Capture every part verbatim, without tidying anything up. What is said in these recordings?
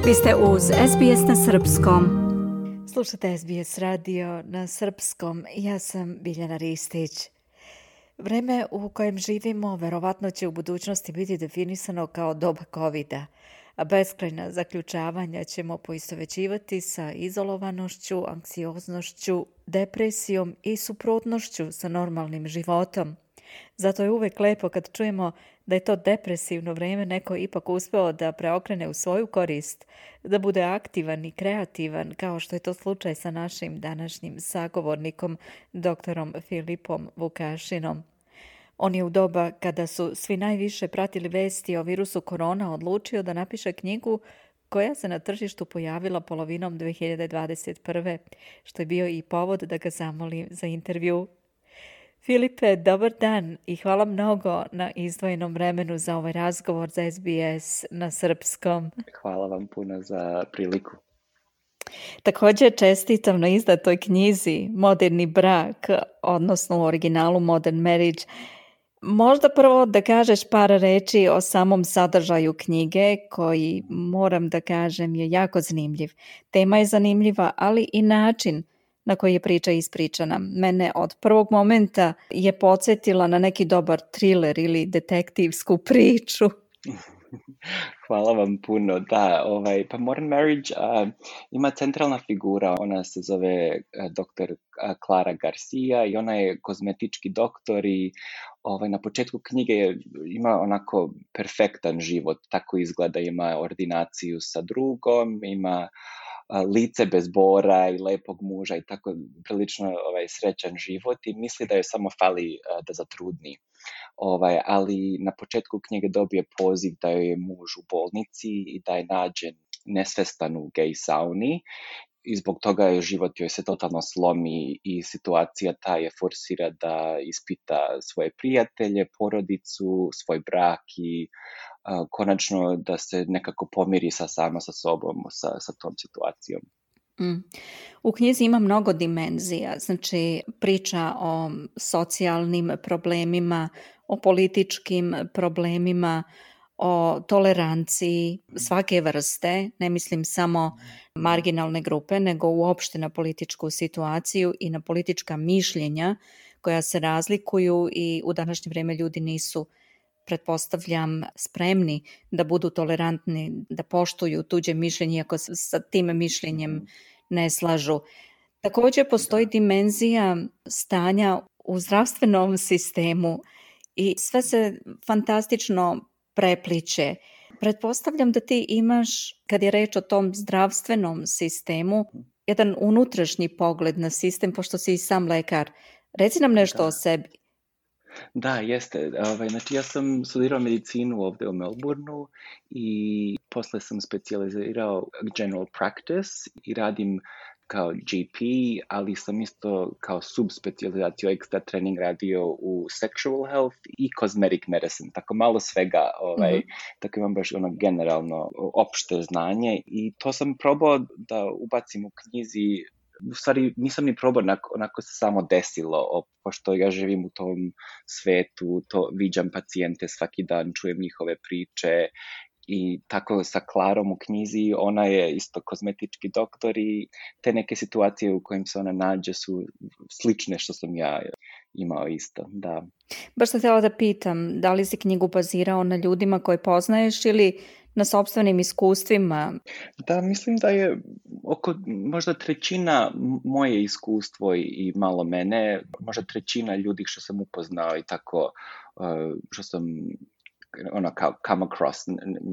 Vi ste uz S B S na srpskom. Slušate S B S radio na srpskom. Ja sam Biljana Ristić. Vreme u kojem živimo verovatno će u budućnosti biti definisano kao doba covida, a beskrajna zaključavanja ćemo poistovećivati sa izolovanošću, anksioznošću, depresijom i suprotnošću sa normalnim životom. Zato je uvek lepo kad čujemo da je to depresivno vreme neko ipak uspeo da preokrene u svoju korist, da bude aktivan i kreativan, kao što je to slučaj sa našim današnjim sagovornikom, doktorom Filipom Vukašinom. On je u doba kada su svi najviše pratili vesti o virusu korona odlučio da napiše knjigu koja se na tržištu pojavila polovinom dve hiljade dvadeset prve, što je bio i povod da ga zamolim za intervju. Filipe, dobar dan i hvala mnogo na izdvojenom vremenu za ovaj razgovor za S B S na srpskom. Hvala vam puno za priliku. Također čestitam na izdatoj knjizi Moderni brak, odnosno u originalu Modern Marriage. Možda prvo da kažeš par reči o samom sadržaju knjige koji, moram da kažem, je jako zanimljiv. Tema je zanimljiva, ali i način na koji je priča ispričana. Mene od prvog momenta je podsjetila na neki dobar thriller ili detektivsku priču. Hvala vam puno. Da, ovaj, pa Modern Marriage uh, ima centralna figura, ona se zove uh, doktor uh, Clara Garcia i ona je kozmetički doktor i ovaj, na početku knjige je, ima onako perfektan život, tako izgleda, ima ordinaciju sa drugom, ima lice bez bora i lepog muža i tako prilično ovaj, srećan život i misli da joj samo fali uh, da zatrudni. Ovaj, ali na početku knjige dobije poziv da joj je muž u bolnici i da je nađen nesvestan u gej sauni i zbog toga je život joj se totalno slomi i situacija ta je forsira da ispita svoje prijatelje, porodicu, svoj brak i uh, konačno da se nekako pomiri sa sama sa sobom, sa, sa tom situacijom. Mm. U knjizi ima mnogo dimenzija, znači priča o socijalnim problemima, o političkim problemima, o toleranciji svake vrste, ne mislim samo marginalne grupe, nego uopšte na političku situaciju i na politička mišljenja koja se razlikuju i u današnje vrijeme ljudi nisu, pretpostavljam, spremni da budu tolerantni, da poštuju tuđe mišljenje ako se sa tim mišljenjem ne slažu. Također postoji dimenzija stanja u zdravstvenom sistemu i sve se fantastično prepliče. Pretpostavljam da ti imaš, kad je reč o tom zdravstvenom sistemu, jedan unutrašnji pogled na sistem, pošto si i sam lekar. Reci nam nešto da. o sebi. Da, jeste. Ovaj, znači ja sam studirao medicinu ovdje u Melbourneu i posle sam specijalizirao general practice i radim kao G P, ali sam isto kao subspecializaciju extra trening radio u sexual health i cosmetic medicine, tako malo svega, ovaj, mm-hmm. tako imam baš ono generalno opšte znanje i to sam probao da ubacim u knjizi. U stvari nisam ni probao, onako, onako se samo desilo, pošto ja živim u tom svetu, to viđam pacijente svaki dan, čujem njihove priče i tako sa Klarom u knjizi, ona je isto kozmetički doktor i te neke situacije u kojim se ona nađe su slične što sam ja imao isto, da. Baš sam htjela da pitam, da li si knjigu bazirao na ljudima koje poznaješ ili na sopstvenim iskustvima? Da, mislim da je oko možda trećina moje iskustvo i malo mene, možda trećina ljudi što sam upoznao i tako uh, što sam ono kao come across,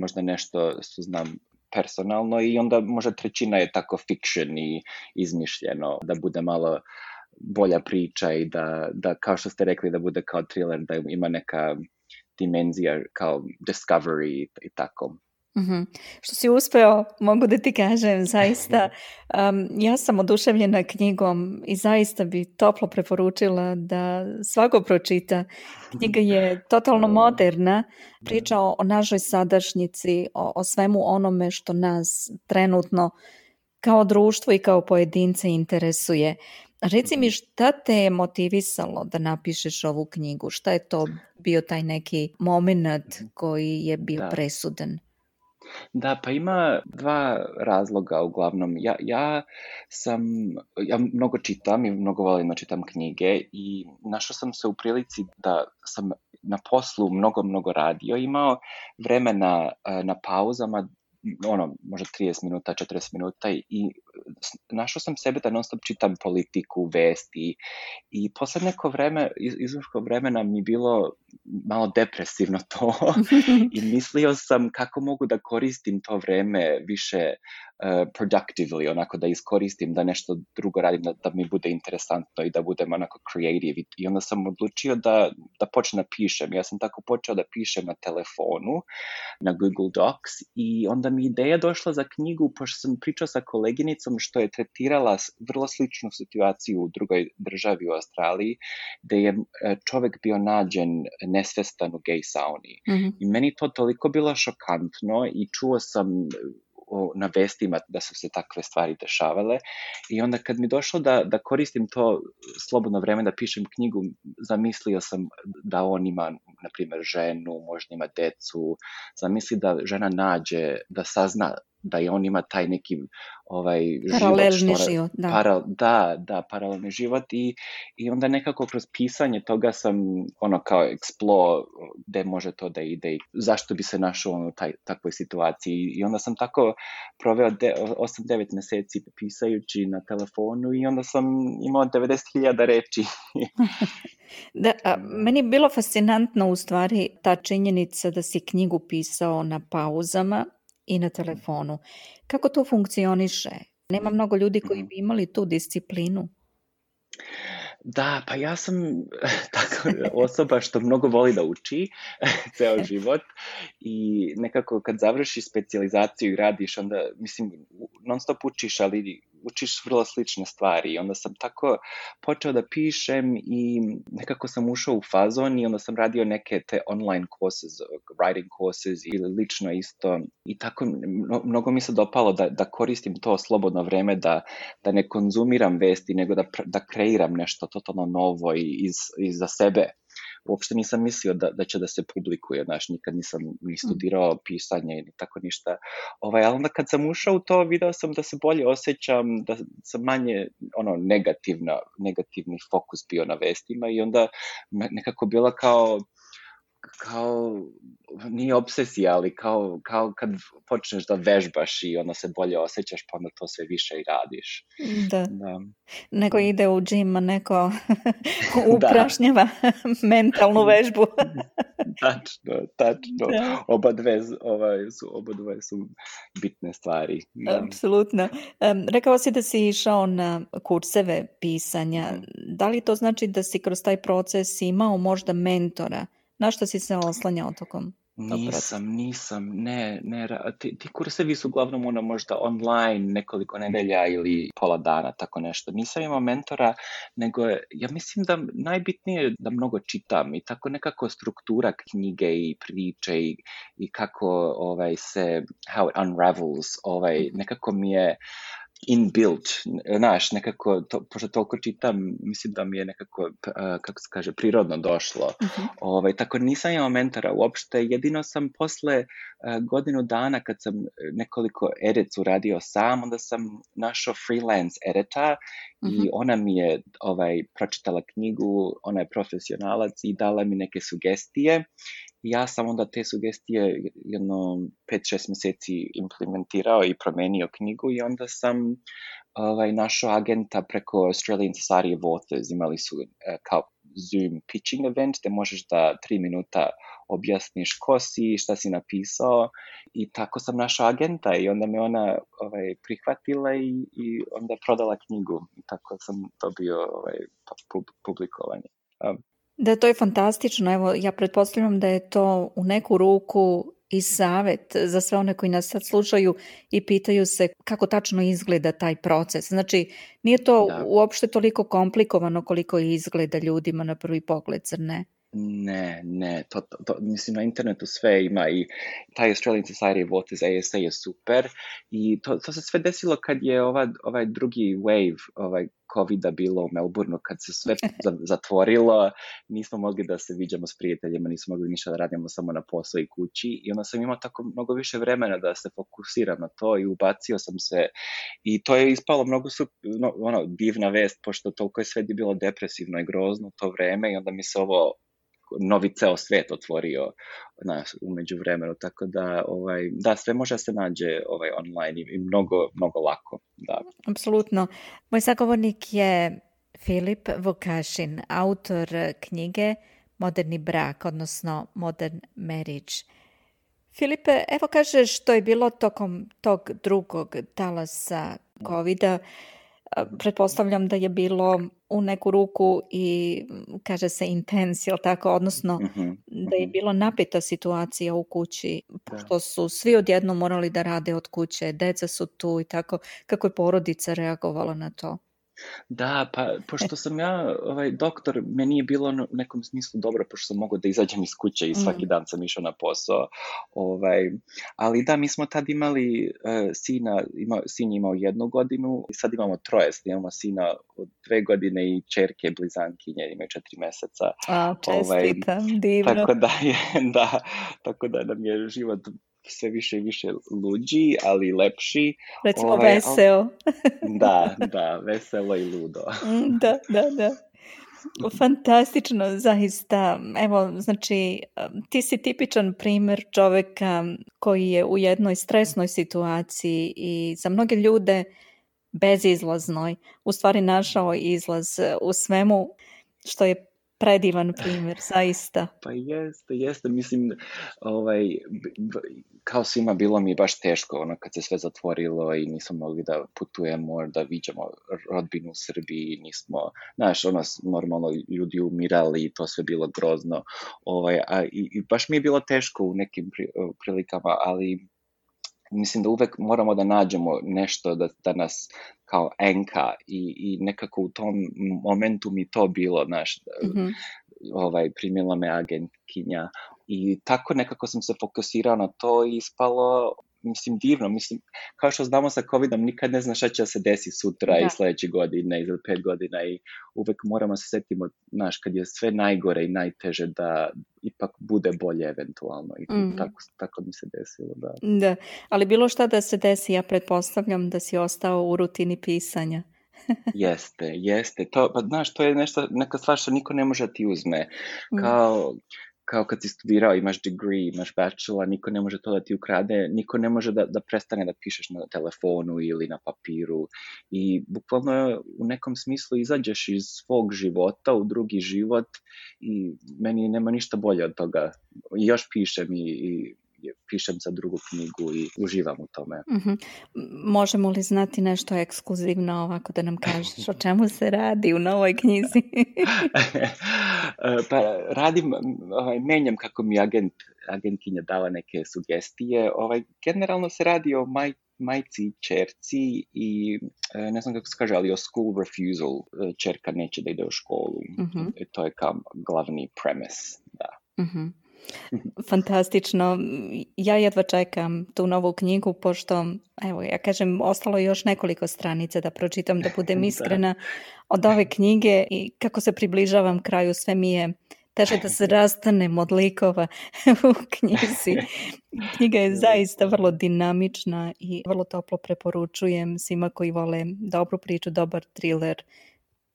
možda nešto što znam personalno i onda možda trećina je tako fiction i izmišljeno, da bude malo bolja priča i da, da kao što ste rekli da bude kao thriller, da ima neka dimenzija kao discovery i tako. Mm-hmm. Što si uspeo, mogu da ti kažem, zaista. Um, ja sam oduševljena knjigom i zaista bi toplo preporučila da svako pročita. Knjiga je totalno moderna, priča o, o našoj sadašnjici, o, o svemu onome što nas trenutno kao društvo i kao pojedince interesuje. Reci mi, šta te je motivisalo da napišeš ovu knjigu? Šta je to bio taj neki moment koji je bio da. presudan? Da, pa ima dva razloga uglavnom. Ja, ja sam, ja mnogo čitam i mnogo volim da čitam knjige i našao sam se u prilici da sam na poslu mnogo, mnogo radio, imao vremena eh, na pauzama, ono, možda trideset minuta, četrdeset minuta i s- našao sam sebe da non stop čitam politiku, vesti i posle neko vreme, iz, izvrško vremena mi je bilo malo depresivno to i mislio sam kako mogu da koristim to vreme više uh, productively, onako da iskoristim, da nešto drugo radim, da, da mi bude interesantno i da budem onako creative. I, i onda sam odlučio da, da počnem da pišem. Ja sam tako počeo da pišem na telefonu, na Google Docs i onda mi ideja došla za knjigu, pošto sam pričao sa koleginicom što je tretirala s- vrlo sličnu situaciju u drugoj državi u Australiji, gde je e, čovek bio nađen nesvestan u gej sauni. Mhm. I meni to toliko bilo šokantno i čuo sam o, na vestima da su se takve stvari dešavale i onda kad mi došlo da, da koristim to slobodno vreme da pišem knjigu, zamislio sam da on ima, na primjer, ženu, možda ima decu, zamisli da žena nađe, da sazna da i on ima taj neki ovaj život što Paralelni ona, život, da. para, da, da, paralelni život i, i onda nekako kroz pisanje toga sam ono kao explore gde može to da ide i zašto bi se našao on u taj, takvoj situaciji i onda sam tako proveo de, osam devet meseci pisajući na telefonu i onda sam imao devedeset hiljada reči. Da, a, meni je bilo fascinantno u stvari ta činjenica da si knjigu pisao na pauzama i na telefonu. Kako to funkcioniše? Nema mnogo ljudi koji bi imali tu disciplinu. Da, pa ja sam tako osoba što mnogo voli da uči ceo život i nekako kad završiš specijalizaciju i radiš, onda, mislim, non stop učiš, ali učiš vrlo slične stvari. I onda sam tako počeo da pišem i nekako sam ušao u fazon i onda sam radio neke te online courses, writing courses ili lično isto. I tako mno, mnogo mi se dopalo da, da koristim to slobodno vreme, da, da ne konzumiram vesti, nego da, da kreiram nešto totalno novo i, iz, i za sebe. Uopšte nisam mislio da, da će da se publikuje, znaš, nikad nisam ni studirao pisanje ni tako ništa. Ovaj, ali onda kad sam ušao u to, video sam da se bolje osjećam, da sam manje ono, negativna, negativni fokus bio na vestima i onda nekako bila kao kao, nije obsesija, ali kao, kao kad počneš da vežbaš i onda se bolje osjećaš, pa onda to sve više i radiš. Da. Da. Neko ide u džim, a neko uprašnjava mentalnu vežbu. Tačno, tačno. Da. Oba dve, ovaj, su, oba dve su bitne stvari. Da. Apsolutno. Um, rekao si da si išao na kurseve pisanja. Mm. Da li to znači da si kroz taj proces imao možda mentora? Na što si se oslanjao tokom? Nisam, nisam, ne, ne, ti, ti kursevi su uglavnom ono možda online nekoliko nedelja ili pola dana, tako nešto. Nisam imao mentora, nego ja mislim da najbitnije je da mnogo čitam i tako nekako struktura knjige i priče i, i kako ovaj, se, how it unravels, ovaj, nekako mi je inbuilt, znaš, nekako, to, pošto toliko čitam, mislim da mi je nekako, uh, kako se kaže, prirodno došlo. Uh-huh. Ovaj, tako nisam imao mentora uopšte, jedino sam posle uh, godinu dana kad sam nekoliko edits uradio sam, onda sam našao freelance edita uh-huh. i ona mi je ovaj, pročitala knjigu, ona je profesionalac i dala mi neke sugestije. Ja sam onda te sugestije jedno pet šest meseci implementirao i promenio knjigu i onda sam ovaj, našao agenta preko Australian Society of Authors. Imali su uh, kao Zoom pitching event gde možeš da tri minuta objasniš ko si, šta si napisao i tako sam našao agenta i onda me ona ovaj, prihvatila i, i onda prodala knjigu i tako sam dobio ovaj, publikovanje. Um, Da, to je fantastično. Evo, ja pretpostavljam da je to u neku ruku i savjet za sve one koji nas sad slušaju i pitaju se kako tačno izgleda taj proces. Znači, nije to da. uopšte toliko komplikovano koliko izgleda ljudima na prvi pogled, zar ne? Ne, ne, to, to, to, mislim na internetu sve ima i taj Australian Society of Autism, A S A je super i to, to se sve desilo kad je ova, ovaj drugi wave ovaj covida bilo u Melbourneu, kad se sve zatvorilo, nismo mogli da se viđamo s prijateljima, nismo mogli ništa da radimo, samo na posao i kući i onda sam imao tako mnogo više vremena da se fokusiram na to i ubacio sam se i to je ispalo mnogo su, no, ono, divna vest, pošto toliko je sve bilo depresivno i grozno u to vreme i onda mi se ovo novi ceo svet otvorio na, umeđu vremenu, tako da, ovaj, da, sve može se nađe ovaj, online i, i mnogo, mnogo lako. Da. Apsolutno. Moj sagovornik je Filip Vukašin, autor knjige Moderni brak, odnosno Modern Marriage. Filipe, evo kažeš što je bilo tokom tog drugog talasa covida. Pretpostavljam da je bilo u neku ruku i kaže se intens, jel tako, odnosno mm-hmm. da je bilo napeta situacija u kući, pošto su svi odjednom morali da rade od kuće, deca su tu i tako. Kako je porodica reagovala na to? Da, pa pošto sam ja ovaj, doktor, meni je bilo u nekom smislu dobro, pošto sam mogao da izađem iz kuće i svaki mm. dan sam išao na posao. Ovaj, ali da, mi smo tad imali uh, sina, ima, sin je imao jednu godinu i sad imamo troje, imamo sina od dve godine i čerke blizankinje, imaju četiri meseca. A, čestitam, ovaj, divno. Tako da, je, da, tako da nam je život sve više i više luđi, ali lepši. Recimo ovaj, veseo. Da, da, veselo i ludo. Da, da, da. Fantastično, zaista. Evo, znači, ti si tipičan primjer čovjeka koji je u jednoj stresnoj situaciji i za mnoge ljude bezizlaznoj u stvari našao izlaz u svemu, što je predivan primjer, zaista. Pa jeste, jeste, mislim, ovaj, kao svima bilo mi baš teško, ono, kad se sve zatvorilo i nismo mogli da putujemo, da viđamo rodbinu u Srbiji, nismo, znaš, ono, normalno ljudi umirali i to sve bilo grozno, ovaj, a, i, i baš mi je bilo teško u nekim prilikama, ali mislim da uvek moramo da nađemo nešto da, da nas kao enka i, i nekako u tom momentu mi to bilo, znaš, mm-hmm. ovaj, primila me agentkinja i tako nekako sam se fokusirao na to i ispalo, mislim, divno, mislim, kao što znamo sa covidom, nikad ne znaš šta će se desi sutra da. I sledeće godine, ili pet godina i uvek moramo se setimo, znaš, kad je sve najgore i najteže da ipak bude bolje eventualno i mm. tako, tako mi se desilo, da. Da, ali bilo šta da se desi, ja pretpostavljam da si ostao u rutini pisanja. Jeste, jeste, to, pa znaš, to je nešto, neka stvar što niko ne može ti uzme, kao... Mm. kao kad si studirao, imaš degree, imaš bachelor, niko ne može to da ti ukrade, niko ne može da, da prestane da pišeš na telefonu ili na papiru i bukvalno u nekom smislu izađeš iz svog života u drugi život i meni nema ništa bolje od toga. I još pišem i, i pišem za drugu knjigu i uživam u tome. Mm-hmm. Možemo li znati nešto ekskluzivno ovako da nam kažeš o čemu se radi u novoj knjizi? Pa radim, ovaj, menjam kako mi agent, agentkinja dala neke sugestije. Ovaj, generalno se radi o maj, majci i čerci i ne znam kako se kaže, ali o school refusal. Čerka neće da ide u školu. Mm-hmm. To je kao glavni premise, da. Mm-hmm. Fantastično. Ja jedva čekam tu novu knjigu, pošto, evo, ja kažem, ostalo je još nekoliko stranica da pročitam, da budem iskrena od ove knjige i kako se približavam kraju, sve mi je teže da se rastanem od likova u knjizi. Knjiga je zaista vrlo dinamična i vrlo toplo preporučujem svima koji vole dobru priču, dobar thriller,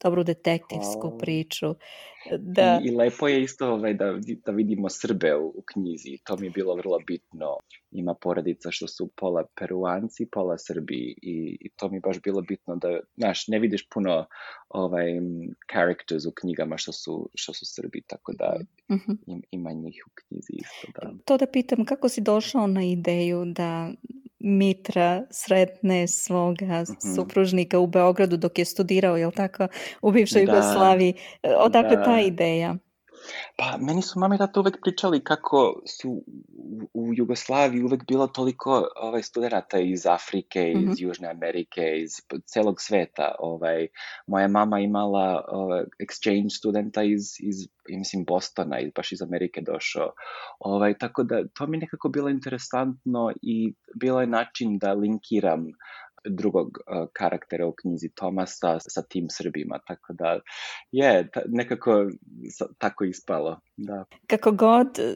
dobru detektivsku oh. priču. Da. I, I lepo je isto ovaj, da, da vidimo Srbe u, u knjizi. To mi je bilo vrlo bitno. Ima porodica što su pola Peruanci, pola Srbi i, i to mi je baš bilo bitno da, znaš, ne vidiš puno ovaj, characters u knjigama što su, što su Srbi, tako da mm-hmm. im, ima njih u knjizi isto. Da. To da pitam, kako si došao na ideju da Mitra sretne svoga mm-hmm. supružnika u Beogradu dok je studirao, jel tako, u bivšoj da, Jugoslaviji. Odakle da. ta ideja? Pa, meni su mama i tata uvek pričali kako su u, u Jugoslaviji uvek bilo toliko ovaj, studenata iz Afrike, iz Mhm. Južne Amerike, iz p- celog sveta. Ovaj, moja mama imala ovaj, exchange studenta iz, iz ja mislim, Bostona, iz, baš iz Amerike došao. Ovaj, tako da, to mi je nekako bilo interesantno i bilo je način da linkiram drugog uh, karaktera u knjizi Tomasa sa tim Srbima, tako da je ta, nekako sa, tako ispalo, da. Kako god, e,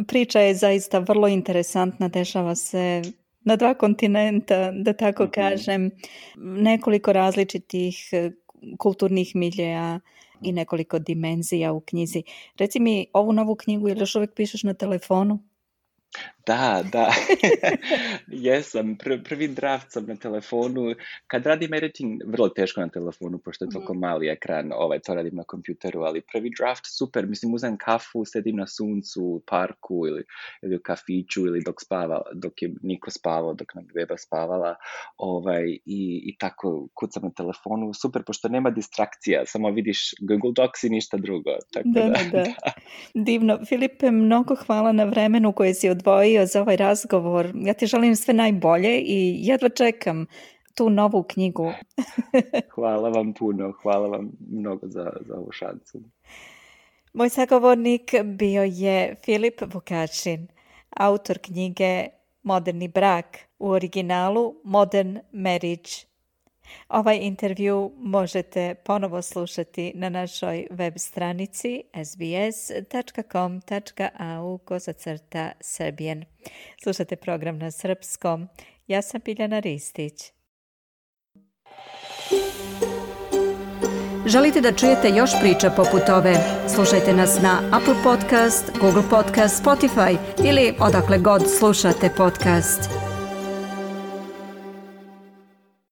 priča je zaista vrlo interesantna, dešava se na dva kontinenta, da tako Mhm. kažem, nekoliko različitih e, kulturnih miljeja i nekoliko dimenzija u knjizi. Reci mi, ovu novu knjigu, jel još uvijek pišeš na telefonu? Da, da, jesam, pr- prvi draft sam na telefonu, kad radim editing, vrlo teško na telefonu, pošto je toliko mali ekran, ovaj, to radim na kompjuteru, ali prvi draft, super, mislim, uzem kafu, sedim na suncu, u parku ili, ili u kafiću, ili dok spava, dok je Niko spavao, dok nam beba spavala, ovaj, i, i tako kucam na telefonu, super, pošto nema distrakcija, samo vidiš Google Docs i ništa drugo, tako Da, da, da, da. Divno. Filipe, mnogo hvala na vremenu koje si odvojio za ovaj razgovor. Ja ti želim sve najbolje i jedva čekam tu novu knjigu. Hvala vam puno, hvala vam mnogo za, za ovu šansu. Moj sagovornik bio je Filip Vukašin, autor knjige Moderni brak, u originalu Modern Marriage. Ovaj intervju možete ponovo slušati na našoj web stranici s b s dot com dot a u kozacrta Serbian. Slušate program na srpskom. Ja sam Biljana Ristić. Želite da čujete još priča poput ove? Slušajte nas na Apple Podcast, Google Podcast, Spotify ili odakle god slušate podcast.